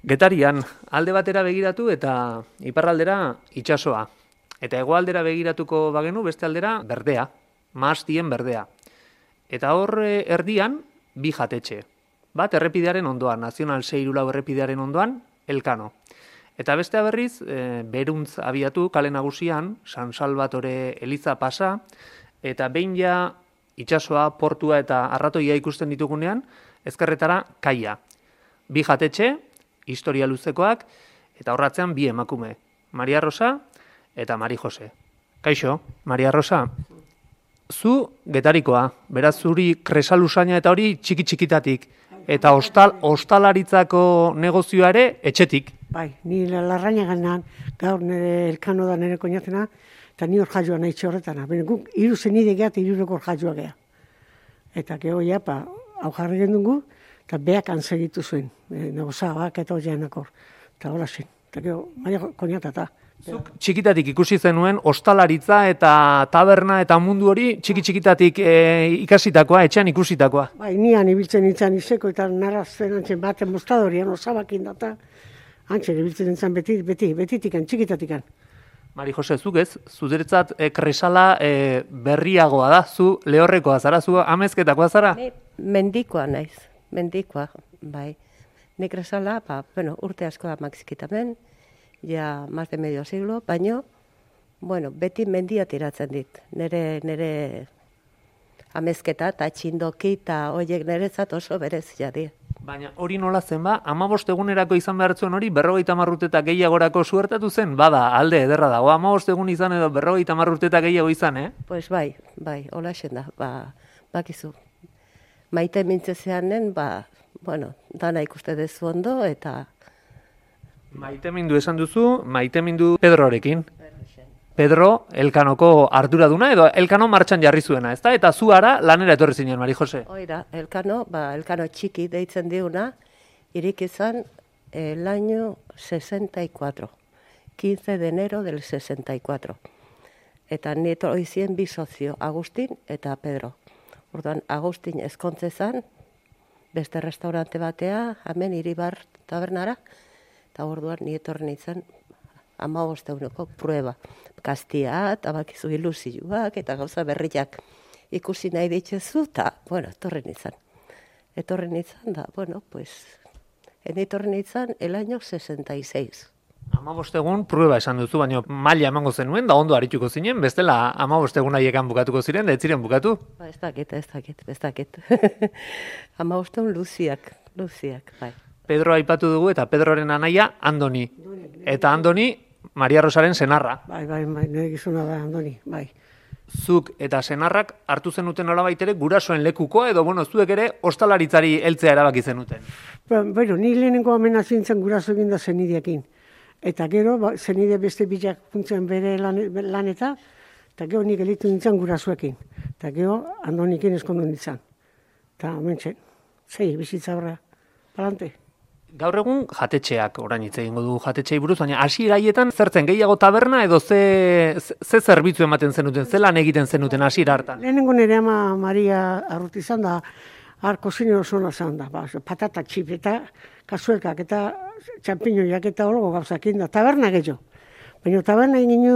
Getarian, alde batera begiratu eta iparraldera itsasoa. Eta hegoaldera begiratuko bagenu beste aldera berdea, mahastien berdea. Eta hor erdian bi jatetxe. Bat errepidearen ondoan, Nazional 6 errepidearen ondoan, Elkano. Eta bestea berriz, beruntz abiatu kale nagusian, San Salvatore eliza pasa, eta behin ja itsasoa, portua eta arratoia ikusten ditugunean, ezkerretara kaia. Bi jatetxe, historia luzekoak, eta horratzean bi emakume, Maria Rosa eta Mari Jose. Kaixo, Maria Rosa, zu getarikoa, beraz zuri kresalusaina eta hori txiki-txikitatik, eta ostalaritzako negozioa ere etxetik. Bai, ni larraina ganan, gaur nire Elkano da nire koinatena, eta ni hor jaioa nahi txorretana. Bene, guk hiru zenide geha eta hirureko hor jaioa geha. Eta geho japa, hau jarri gendugu, eta beak antzegitu zuen, negozabak eta hoianak hor. Eta hola zen, eta geho, maia koinatata. Zuk txikitatik ikusi zenuen ostalaritza eta taberna eta mundu hori txiki-txikitatik ikasitakoa, etxean ikusitakoa. Bai, nian ibiltzen nintzen izeko eta narrazten antzen baten mostadorian, osabakin data, antzen ibiltzen nintzen betitikan, txikitatikan. Mari Jose, zuk ez, zuretzat kresala berriagoa da, zu lehorrekoa zara, zu amezketakoa zara? Mendikoa naiz, mendikoa, bai. Nik kresala, urte asko amakzikitamen, ja más de medio siglo, baino, beti mendia tiratzen dit. Nere amezketa eta txindoki eta horiek nerezat oso berez jadi. Baina hori nola zen ba, 15 egunerako izan behar zuen hori 50 urte eta gehiagorako suertatu zen? Bada, alde ederra dago, 15 egun izan edo 50 urte eta gehiago izan, Pues bai, hola esan da, bakizu. Maite mintzezeanen, dana ikuste dezu ondo eta... Maitemindu esan duzu, maitemindu Pedrorekin. Pedro, Elkanoko arduraduna edo Elkano martxan jarri zuena, ezta? Eta zu ara lanera etorri zinen, Mari Jose. Oira, Elkano txiki deitzen diuna, irik izan el año 64, 15 de enero del 64. Eta nieto oizien bi sozio, Agustin eta Pedro. Orduan, Agustin ezkontze zan, beste restaurante batea, hemen Iribar tabernara, eta orduan nietorren izan 15 euroko prueba. Kastia, eta bakizu ilusioak, eta gauza berriak ikusi nahi ditzezu, eta, etorren izan. Etorren izan da, etorren izan el año 66. 15 egun prueba esan duzu, baina maila emango zenuen, da ondo arituko zinen, bestela 15 egun haiekan bukatuko ziren, da ez ziren bukatu? Ez dakit. 15 egun luziak, bai. Pedro aipatu dugu eta Pedroren anaia Andoni. Eta Andoni, Maria Rosaren senarra. Bai, nire gizuna da Andoni, bai. Zuk eta senarrak hartu zenuten nolabait ere gurasoen lekukoa edo zuek ere ostalaritzari heltzea erabaki zenuten. Ni lehenengo amena zintzen guraso egin da zenideekin. Eta gero, zenide beste bilak puntzen bere laneta, eta gero nik elitu nintzen gurasoekin. Eta gero, Andonikin eskondu nintzen. Eta hementxe, bizitza horra, palante. Gaur egun jatetxeak, orain hitz egingo du jatetxeei buruz, baina hasieraietan zertzen gehiago taberna edo ze zerbitzu ematen zenuten, ze lan egiten zenuten hasiera hartan? Lehenengo nire ama Maria Arruti izan da, kozinero zona izan da, patata txip eta kasuelkak eta txampiñoiak eta hori gauzakin da, taberna gehiago. Baina taberna egin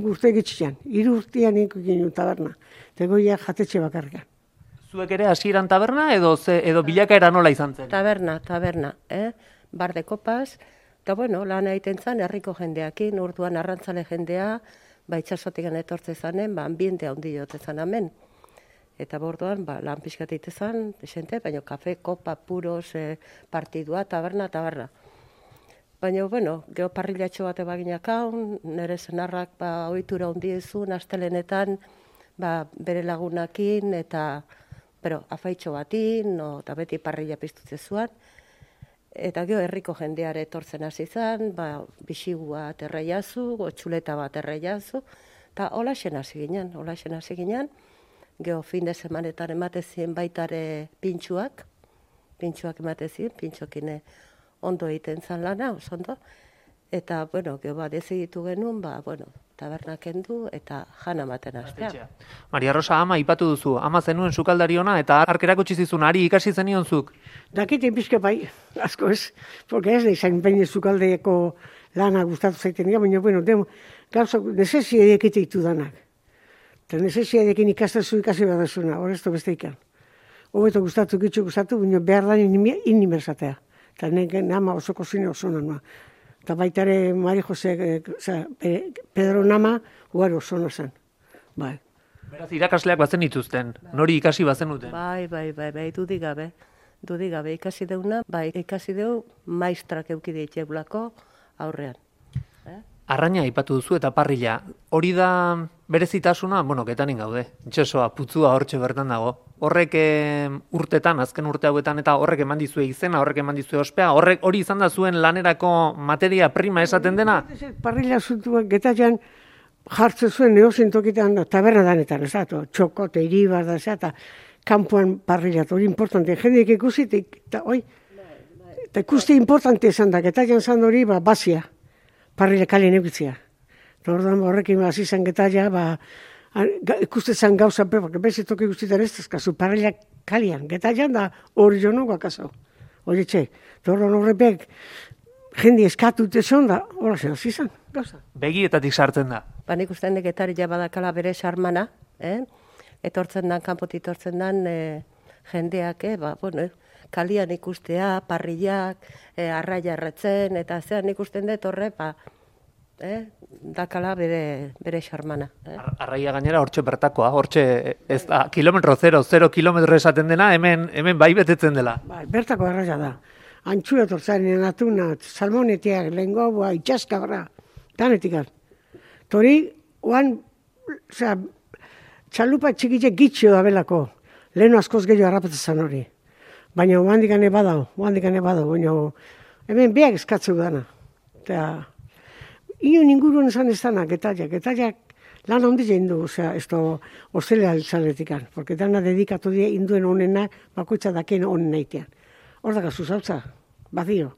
guzti egitxian, 3 urtean egin taberna, eta goia jatetxe bakarrikan. Zuek ere hasieran taberna edo bilakaera nola izan zen? Taberna, bar de kopas, eta lan egiten zen herriko jendeakin, urduan arrantzale jendea, itxasotik etortze zanen, ambiente handi jote zan hemen. Eta borduan, lan pixkat egite zan, desente, baina kafe, kopa, puros, partidua, taberna. Baina, geho parrilatxo bate baginak hau, nire zenarrak ohitura handi ezun, astelenetan, bere lagunakin, eta afaitxo batin, eta beti parrila piztutze zuan. Eta geho herriko jendeare etortzen hasi zan, bisigua erreiazu, txuleta bat erreiazu, eta hola xen hasi ginen, geho fin de semanetan ematezien baitare pintxuak ematezien, pintxokin ondo egiten zan lana, oso ondo, eta, geho deziditu genuen, tabernak kendu eta jana ematen hastea. Maria Rosa, ama ipatu duzu, ama zenuen sukaldari ona eta hark erakutsi zizun, ari ikasi zenion zuk. Dakiten pixka bai, asko ez, porque ez da izan baina sukaldeko lana gustatu zaiten dira, baina, bueno, gauza, nesesiedek ditu danak. Eta nesesiedekin ikastazu ikasi behar dezuna, horrezto beste ikan. Hobeto gustatu, baina behar da inimerzatea. Eta nama oso kozine oso nanua. Eta baita ere Mari Jose, Pedro nama, ugar oso nazan. Bai. Beraz, irakasleak bazen dituzten, nori ikasi bazen duten. Bai, dudigabe ikasi deuna, bai, ikasi deu maistrak eukide itxegulako aurrean. Arraina aipatu duzu eta parrilla. Hori da berezitasuna, bueno, Getanin gaude. Itxasoa, putzua hortxe bertan dago. Horrek urtetan, azken urte hauetan, eta horrek eman dizue izena, horrek eman dizue ospea, hori izan da zuen lanerako materia prima esaten dena? Parrilla zuntua Getarian jartzen zuen neozen tokitan, taberna danetan, ez da, txokote, iribar da, eta kanpoan parrilla, hori importante. Jendeek ikusi, eta ikuste importante izan da, Getarian zan hori, bazia. Parrilla kalien egitzia. Orduan horrekin hasi zen Getaria, ikustetzen gauza pepak, bezitoki guztietan ez dazkazu, parrilla kalian. Getarian da hori jo nugu akaso. Hori txe. Orduan horrepek jende eskatu tezon da, horrezen hasi zen gauza. Begietatik sartzen da. Nik ustean Getaria badakala bere sarmana, etortzen dan, kanpotik etortzen dan jendeak, kalian ikustea, parrillak, arraia erretzen, eta zean ikusten dut horre, dakala bere xarmana. Arraia gainera hortxe bertakoa, hortxe ez da, kilometro 0 kilometro esaten dena, hemen bai betetzen dela. Bai, bertako arraia da. Antxua tortzaren atuna, salmonetiak, lengobua, itxaskabra, danetik. Tori, txalupa txikitxe gitxio da belako, lehenu askoz gehiago harrapatzen hori. Baina oandik ane badau, baina hemen beak eskatzeu dana. Eta, inon inguruen esan ez dana, Getariak lan handi jein du, ez da ostelea altzaletikan, porque dana dedikatu die induen onena, bakoitza dakien onen naitean. Hor dakazu zautza, badio,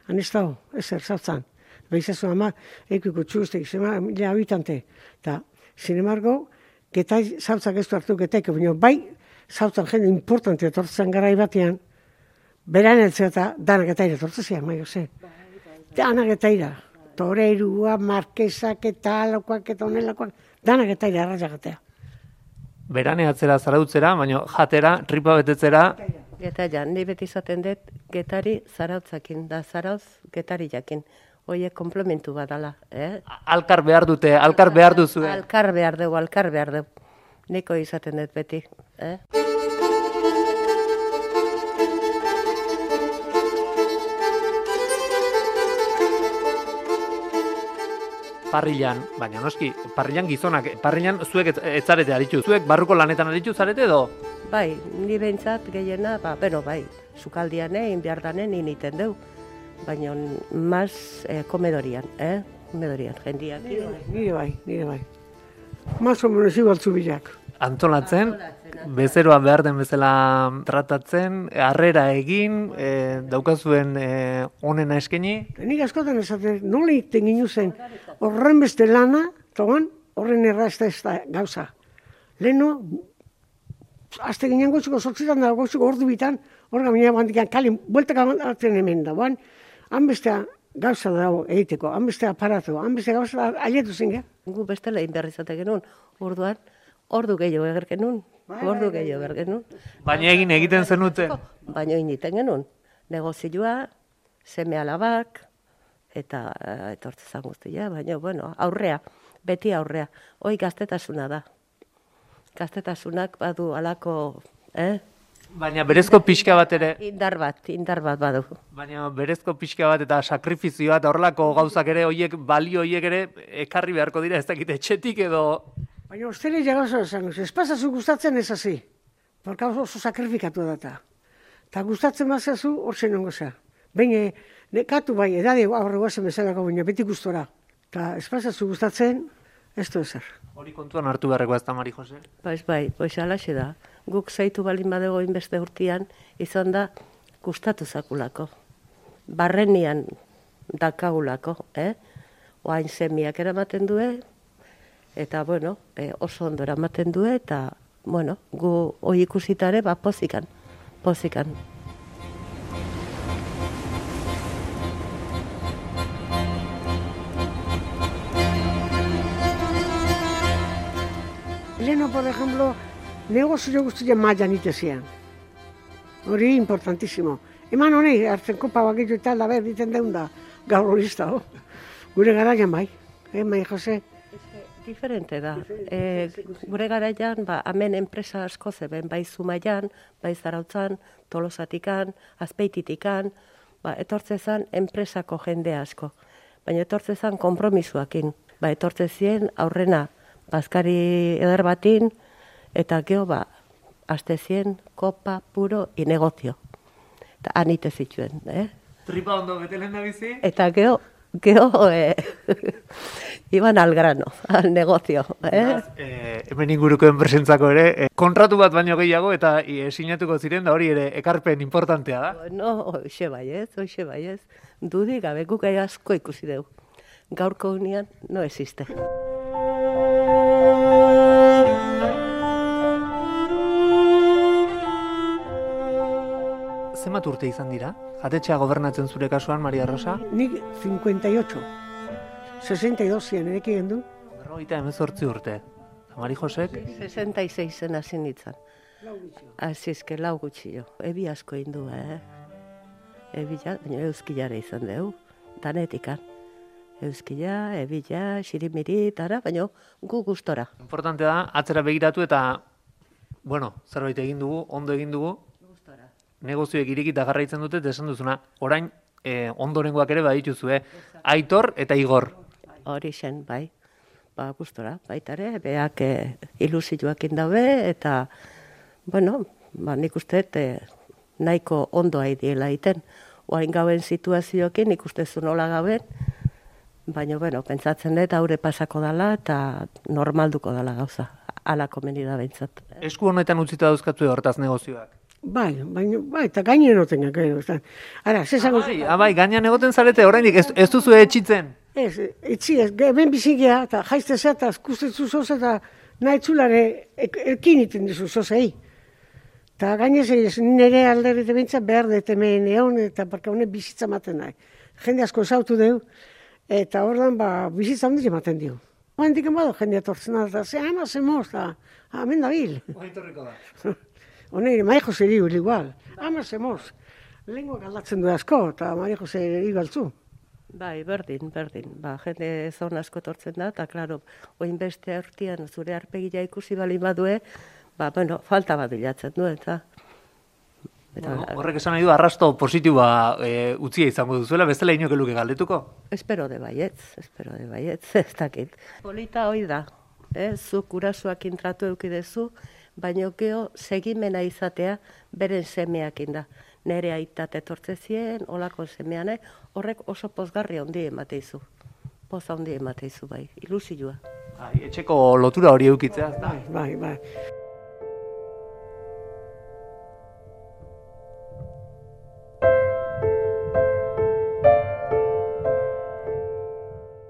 han ez dago, ezer zautzan. Behizazu ama, eikuiko txustek, zema, mila habitante. Eta, sin embargo, Getari zautzak ez du hartu Getaiko, baina bai, zautzan jende importante etortzen garai batean, beran eltzea eta dana Getaira etortzezian, maio ze. Dana Getaira. Toreirua, markesak eta alakoak eta onelakoak, dana Getaira arraia gatea. Berane atzera zarautzera, baina jatera, tripa betetzera. Getaria, ni beti izaten dut Getari zarautzakin, da zarauz Getari jakin. Oie, komplementu badala. Alkar behar dute, alkar behar duzu. Alkar behar dugu. Niko izaten dut beti. Parrillan, baina noski, parrillan gizonak, parrillan zuek etzarete aritu. Zuek barruko lanetan aritu zarete edo? Bai, ni behintzat gehiena, bai, sukaldian egin behar danen initen deu. Baina maz komedorian, komedorian, jendiak. Nire bai. Mas o menos igual zubilak. Antolatzen, bezeroa behar den bezala tratatzen, harrera egin, daukazuen onena eskeni. Nik askotan esaten, nola egiten ginu zen, horren beste lana, togan, horren errazta ez da gauza. Leheno, azte ginen gotzuko sortzitan da, gotzuko ordu bitan, horga minea bandikan kalin, bueltak atzen hemen da, han bestea gauza dago egiteko, han bestea aparatu, han bestea gauza aietu zen, Gu bestela inberrizate genuen, orduan, ordu gehiago eger genuen, Baina egiten zenuten? Baina egiten genuen, negozioa, seme alabak, eta etortzezan guztia, baina, aurrea, beti aurrea. Hoi gaztetasuna da. Gaztetasunak badu alako, Baina berezko pixka bat ere... Indar bat badu. Baina berezko pixka bat eta sakrifizioa eta horrelako gauzak ere, balio horiek ere ekarri beharko dira, ez dakit etxetik edo... Baina ostele jagauza esan, ez pasazu gustatzen ez hazi. Porka oso sakrifikatu data. Eta gustatzen bazazu, hor zen ongo za. Baina, nekatu bai, edade aurre guazen bezalako, baina beti gustora. Eta ez pasazu gustatzen, ez du ezer. Hori kontuan hartu beharreko ez da, Mari Jose? Bai, alaxe da. Guk zaitu balin badego inbeste urtean, izan da gustatu zakulako. Barrenian dakagulako, Oain semiak eramaten due, Eta, bueno, oso ondo eramaten du eta, bueno, gu hoi ikusitare, pozikan. Leheno, por ejemplo, negozio guztia mailan itezian. Hori importantísimo. Eman honei, hartzen kopa bakitu eta alda diten deun da, gaur hori da. Gure garaian bai, Mai Jose. Diferente da. Gure garaian, hemen enpresa asko zeben, bai Zumaian, bai Zarautzan, Tolosatikan, Azpeititikan, etortzezan enpresako jende asko. Baina etortzezan konpromisuakin. Etortzezien aurrena bazkari eder batin, eta geho, astezien, kopa, puro, negozio. Eta anite zituen, Tripa ondo betelen da bizi? Eta geho, iban al grano, al negozio. Hemen inguruko enpresentzako ere, kontratu bat baino gehiago eta sinatuko ziren, da hori ere ekarpen importantea da? No, hoxe baiez. Dudi gabe guk asko ikusi dugu. Gaurko unian no existe. Zenbat urte izan dira? Jatetxea gobernatzen zure kasuan, Maria Rosa? Nik 58. 62 zian, ereki gendu. 58 urte. Mari Josek? 66 hasi nintzen. Azizke, lau gutxio. Ebi asko indu, Ebila, baina euskilare izan dugu. Danetikan. Euskila, ebila, xirimiri, baina gu gustora. Importante da, atzera begiratu eta, bueno, zerbait egin dugu, ondo egin dugu. Negozioek irekita jarraitzen dute, esan duzuna, orain ondorengoak ere badituzue, Aitor eta Igor. Hori zen, bai. Gustora, baitare, beak ilusioakin dabe, eta, bueno, nik uste nahiko ondoa idiela iten. Oain gauen situazioekin, nik uste zu nola gaben, baina, bueno, pentsatzen dut haure pasako dala, eta normalduko dala gauza. Ala komeni da behintzat. Esku honetan utzita dauzkatzu hortaz negozioak? Bai, eta gainen oten gero. Ara, zezago... Bai, gainean egoten zarete, oraindik ez duzu etxitzen? Ez, etxi ez, hemen bizigea, eta jaiztezea, eta kustetzu zoz, eta nahi txulare ekin iten dizu zozei. Eta gainez, nire alderrite bintzat behar dut hemen egon, eta parka honek bizitza maten nahi. Jende asko esautu dugu, eta ordan bizitza hondik ematen dio. Hendik emado jende atortzen da, eta ama zemoz, eta hemen da bil. Oaitorriko da. Hone, Mai Jose eri igual. Ama zemoz. Lenguak aldatzen du asko, eta Mai Jose eri igualtzu. Bai, berdin. Jende zon asko tortzen da, eta, klaro, oin beste hortian zure arpegia ikusi balin badue, bueno, falta bat bilatzen du, eta... Horrek esan nahi du, arrasto positiboa utzia izango duzuela, bestela inoke luke galdetuko? Espero de baietz, ez dakit. Polita hoi da, zuk urasuak intratu eukidezu, baina geho segimena izatea beren semeakin da. Nere aitat etortzezien, olako semean, horrek oso pozgarri handi emateizu. Poza handi emateizu, bai, ilusioa. Etxeko lotura hori eukitzea, da? Bai.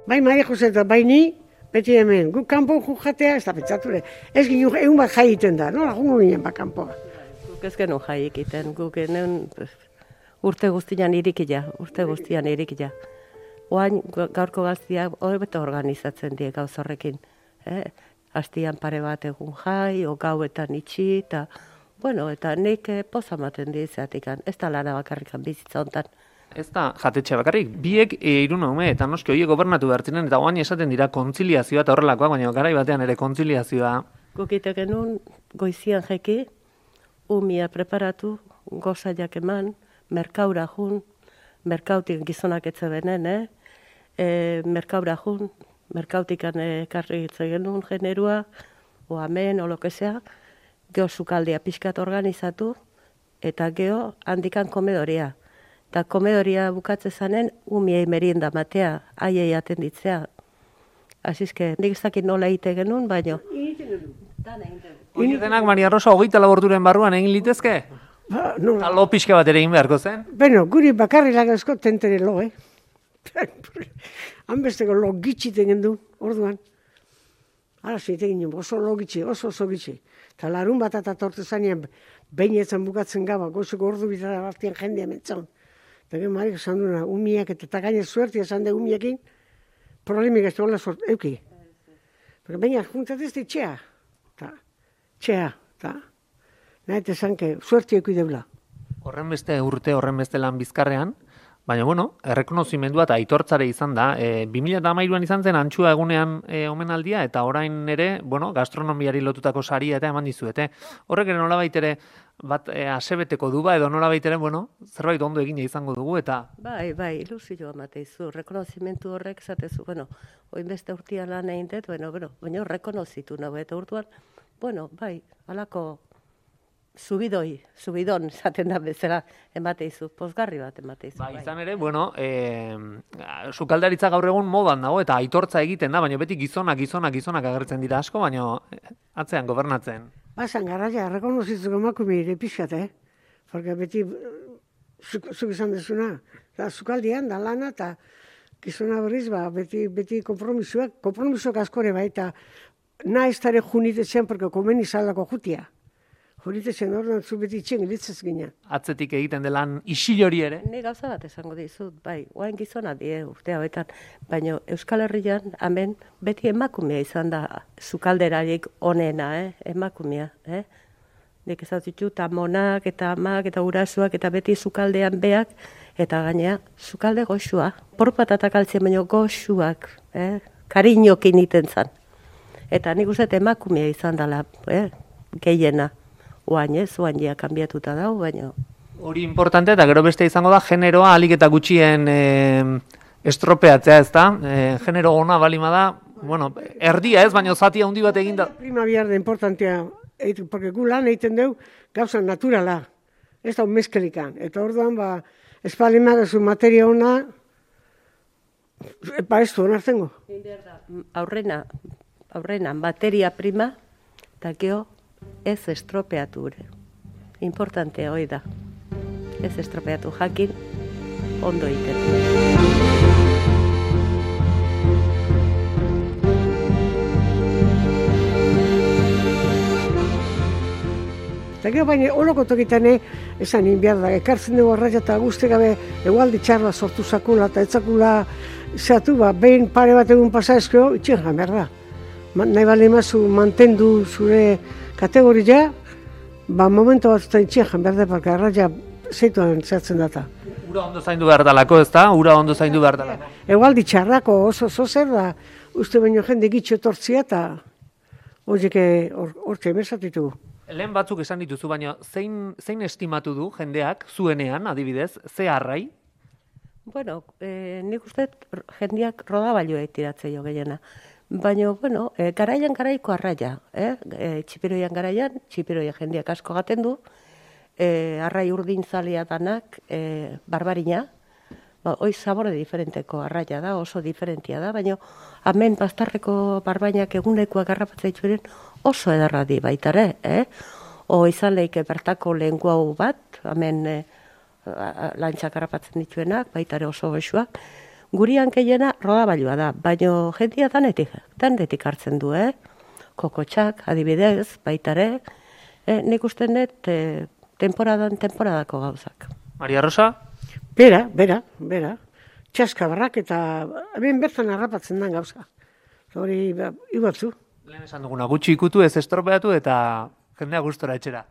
Bai, Maria Jose eta bai ni, beti hemen, guk kanpo jatea, ez da pentsature. Ez ginen egun bat jai iten da, no? Lagungo ginen kanpoa. Guk ez genuen jai egiten, guk genuen urte guztian irikila. Oain gaurko gaztia hobeto organizatzen die gauz horrekin. Hastian pare bat egun jai, o gauetan itxi, eta, bueno, eta nik pozamaten dizeatikan, ez da lana bakarrikan bizitza hontan. Ez da jatetxe bakarrik, biek irun haume eta noski horiek gobernatu behar ziren, eta oain esaten dira kontziliazioa eta horrelakoa, baina garai batean ere kontziliazioa. Gukite genuen goizian jeki, umia preparatu, gozaiak eman, merkaura jun, merkautik gizonak etze benen, merkaura jun, merkautikan ekarri hitze genuen generua, o amen, o lokezea, geho sukaldia pixkat organizatu, eta geho handikan komedoria. Eta komedoria bukatze zanen, umiei merienda matea, aiei atenditzea. Azizke, nik ez dakit nola egite genuen, baino. Hori denak, Maria Rosa, 24 orduren barruan egin litezke? Eta lo pixka bat ere egin beharko zen? Beno, guri bakarri lagazko tentere lo, Han besteko lo gitxiten gendu, orduan. Hala, zitegin oso logitxe, oso gitxe. Eta larun bat eta tortu zanean, behin etzen bukatzen gaba, gozuko ordu bitara bartian jendea mentzon. Eta gero marik esan duena, umiak eta gaine suertia esan de umiekin, problemik ez duela euki. Pero baina, juntat ez txea. Txea, eta nahi esan que suertia euki deula. Horren beste urte, horren beste lan bizkarrean, baina, bueno, errekonozimendua eta aitortzare izan da. 2013an izan zen Antxua egunean omenaldia, eta orain ere, bueno, gastronomiari lotutako saria eta eman dizuete. Horrek ere nolabait ere, bat asebeteko du ba, edo nolabait ere, bueno, zerbait ondo egina izango dugu, eta... Bai, ilusioa mateizu, rekonozimentu horrek zatezu, bueno, oin beste urtean lan egin dut, baina rekonozitu nago, eta urtuan, bueno, bai, alako... subidon, zaten da bezala, emateizu, pozgarri bat emateizu. Ba, izan ere, bueno, sukaldaritza gaur egun modan dago, eta aitortza egiten da, baina beti gizonak agertzen dira asko, baina atzean gobernatzen. Basan, garaia, rekonozitzeko emakume ere pixat, porque beti, zuk izan dezuna, sukaldian, da lana, eta gizona berriz, beti kompromisoak askore, eta nahi ez dara junitetzen, porque komeni zaldako jutia. Horitezen orduan zu beti itxen ilitzez ginen. Atzetik egiten delan isil hori ere? Ni gauza bat esango dizut, bai, oain gizona die urte hauetan, baina Euskal Herrian hemen beti emakumea izan da sukalderarik onena, emakumea, Nik ez ditut amonak eta amak eta urasuak eta beti sukaldean beak, eta gainea sukalde goxua. Porpatatak altzien baino goxuak, kariñokin iten zan. Eta nik uste emakumea izan dela, gehiena. Oain ja kanbiatuta dago, baina... Hori importante, eta gero beste izango da, generoa alik eta gutxien estropeatzea, ez da? Genero ona balima da, bueno, erdia ez, baina zati handi bat eginda. Prima biarda importantea, porque gu lan egiten dugu gauza naturala, ez da mezkelikan. Eta orduan, espalima gazu materia ona, ez du onartzengo. Aurrena, materia prima, eta geho, ez estropeatu ere. Importantea hoi da. Ez estropeatu jakin, ondo egiten. Eta gero baina holoko tokitan esan inbiar da, ekartzen dugu arraia eta guzti gabe egualdi txarra sortu zakula eta etzakula zeatu, behin pare bat egun pasa ezkeo, itxen jan behar da. Nahi bale mazu mantendu zure kategoria, momentu bat zuta itxen jan behar da, porque arraia zeituan zehatzen data. Ura ondo zaindu behar dalako, ez da? Ura ondo zaindu behar dalako. Egualdi txarrako oso zer da, uste baino jende gitxo etortzia eta horiek hortxe emesatitu. Lehen batzuk esan dituzu, baina zein estimatu du jendeak zuenean, adibidez, ze arrai? Bueno, nik uste jendeak rodabailua tiratzea jo gehiena. Baina, bueno, garaiko arraia. Txipiroian garaian, txipiroia jendeak asko gaten du, arrai urdin zalia danak, barbarina, hoi sabore diferenteko arraia da, oso diferentia da, baina hemen bastarreko barbainak egunekoak garrapatzea itxuren oso edarra di baitare, O izan lehike bertako lengua hau bat, hemen lantxak garrapatzen dituenak, baitare oso goxuak. Gurian gehiena rodabailua da, baina jendia danetik hartzen du, Kokotxak, adibidez, baitare, nik usten dut temporadako gauzak. Maria Rosa? Bera. Txaskabarrak eta hemen bertan harrapatzen den gauza. Hori, ibatzu. Lehen esan duguna, gutxi ikutu ez estropeatu eta jendea gustora etxera.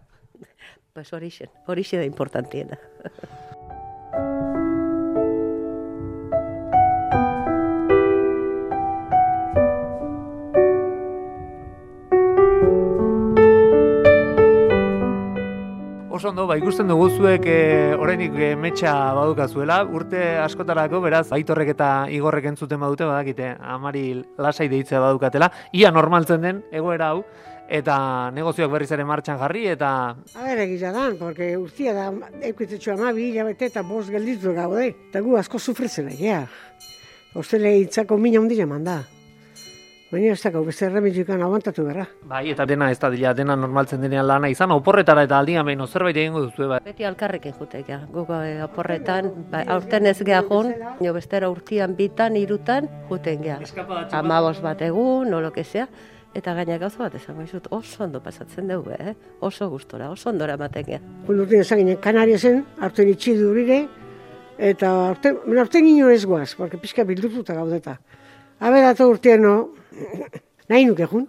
Pues horixe da importantiena. Oso ondo, ikusten dugu zuek oraindik metxa badukazuela, urte askotarako, beraz, Aitorrek eta Igorrek entzuten badute, badakite, Amari lasai deitzea badukatela, ia normaltzen den egoera hau, eta negozioak berriz ere martxan jarri, eta... Egila da, porque urtia da, ekuitetxo 12 hilabete eta 5 gelditu gaude, eta gu asko sufritzen egia. Ostele hitzako mina hundila manda. Baina ez dakau, beste erremediokan aguantatu berra. Bai, eta dena ez da dena normaltzen denean lana izan, oporretara eta aldian behin zerbait egingo duzu, bai. Beti alkarrekin jutek, guk oporretan, aurten ez geha jun, bestera urtian bitan, 3 juten geha. 15 bat egun, o lo que sea, Eta gaina gauza bat esango dizut, oso ondo pasatzen dugu, oso gustora, oso ondora ematen gea. Urtean ezaginen, Kanariasen, hartzen itxidurire, eta hartzen ino ez guaz, porque pixka bildututa gaudeta. Aberatu urtean, no, nahi nuke jun.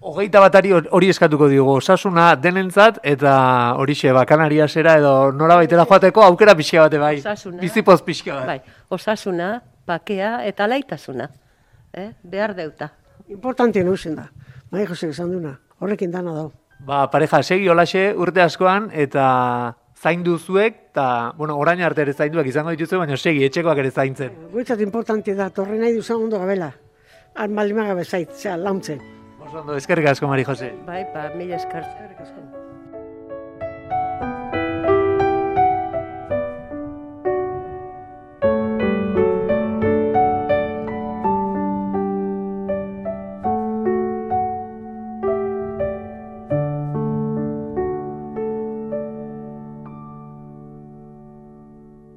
21 hori eskatuko diogu, osasuna denentzat, eta horixe, Kanariasera edo norabaitera joateko aukera pixka bate bai. Osasuna. Bizipoz pixka bat. Bai, osasuna, bakea eta laitasuna. Behar deuta. Importantien hausen da. Bai, Jose, esan duna. Horrekin dana dau. Pareja, segi holaxe urte askoan, eta zaindu zuek, eta, orain arte ere zainduak izango dituzu, baina segi, etxekoak ere zaintzen. Guitzat importante da, torre nahi duzan ondo gabela. Han balimaga bezait, launtzen. Oso ondo, eskerrik asko, Mari Jose. Bai, mila esker.